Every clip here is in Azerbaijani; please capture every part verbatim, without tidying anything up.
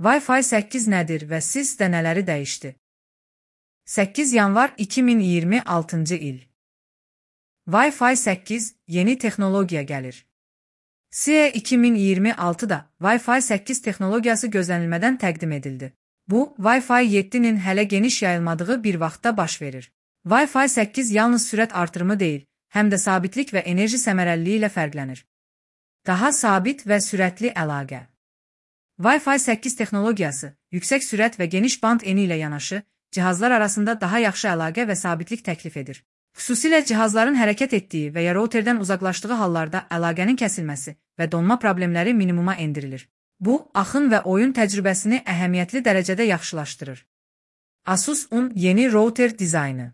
Wi-Fi səkkiz nədir və sizdə nələri dəyişdi? səkkiz yanvar iki min iyirmi altıncı il. Wi-Fi səkkiz yeni texnologiya gəlir. C E iki min iyirmi altıda Wi-Fi səkkiz texnologiyası gözlənilmədən təqdim edildi. Bu, Wi-Fi yeddinin hələ geniş yayılmadığı bir vaxtda baş verir. Wi-Fi səkkiz yalnız sürət artırımı deyil, həm də sabitlik və enerji səmərəliliyi ilə fərqlənir. Daha sabit və sürətli əlaqə. Wi-Fi səkkiz texnologiyası, yüksək sürət və geniş band eni ilə yanaşı, cihazlar arasında daha yaxşı əlaqə və sabitlik təklif edir. Xüsusilə cihazların hərəkət etdiyi və ya routerdən uzaqlaşdığı hallarda əlaqənin kəsilməsi və donma problemləri minimuma endirilir. Bu, axın və oyun təcrübəsini əhəmiyyətli dərəcədə yaxşılaşdırır. Asus-un yeni router dizaynı.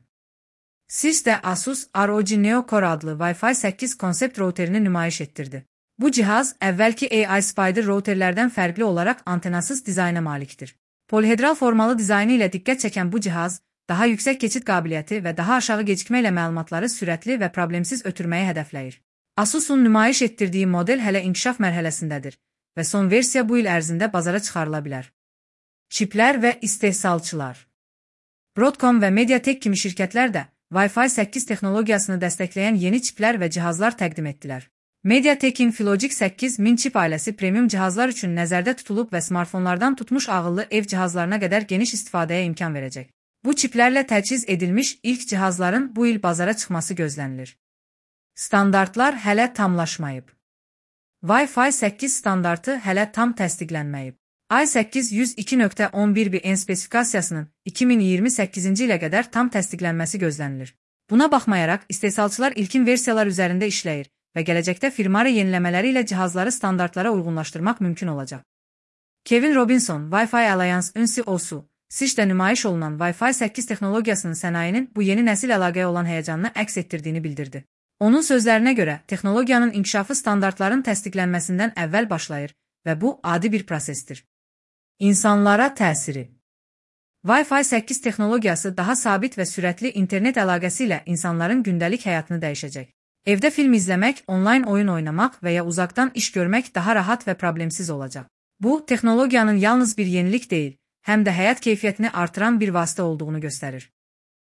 Sizdə Asus R O G Neo Core adlı Wi-Fi səkkiz konsept routerini nümayiş etdirdi. Bu cihaz, əvvəlki A I Spider routerlərdən fərqli olaraq antenasız dizayna malikdir. Polihedral formalı dizaynı ilə diqqət çəkən bu cihaz, daha yüksək keçid qabiliyyəti və daha aşağı gecikmə ilə məlumatları sürətli və problemsiz ötürməyi hədəfləyir. Asus'un nümayiş etdirdiyi model hələ inkişaf mərhələsindədir və son versiya bu il ərzində bazara çıxarıla bilər. Çiplər və istehsalçılar. Broadcom və Mediatek kimi şirkətlər də Wi-Fi səkkiz texnologiyasını dəstəkləyən yeni çiplər və cihazlar təqdim etdilər. Mediatek'in Filogic səkkiz min çip ailəsi premium cihazlar üçün nəzərdə tutulub və smartfonlardan tutmuş ağıllı ev cihazlarına qədər geniş istifadəyə imkan verəcək. Bu çiplərlə təchiz edilmiş ilk cihazların bu il bazara çıxması gözlənilir. Standartlar hələ tamlaşmayıb. Wi-Fi səkkiz standartı hələ tam təsdiqlənməyib. I səkkiz yüz iki nöqtə on bir B N spesifikasiyasının iki min iyirmi səkkizinci ilə qədər tam təsdiqlənməsi gözlənilir. Buna baxmayaraq, istehsalçılar ilkin versiyalar üzərində işləyir və gələcəkdə firmari yeniləmələri ilə cihazları standartlara uyğunlaşdırmaq mümkün olacaq. Kevin Robinson, Wi-Fi Alliance-ın C E O-su, S I Ç-də nümayiş olunan Wi-Fi səkkiz texnologiyasının sənayinin bu yeni nəsil əlaqəyə olan həyəcanını əks etdirdiyini bildirdi. Onun sözlərinə görə, texnologiyanın inkişafı standartların təsdiqlənməsindən əvvəl başlayır və bu adi bir prosesdir. İnsanlara təsiri. Wi-Fi səkkiz texnologiyası daha sabit və sürətli internet əlaqəsi ilə insanların gündəlik həyatını dəyişəcək. Evdə film izləmək, onlayn oyun oynamaq və ya uzaqdan iş görmək daha rahat və problemsiz olacaq. Bu, texnologiyanın yalnız bir yenilik deyil, həm də həyat keyfiyyətini artıran bir vasitə olduğunu göstərir.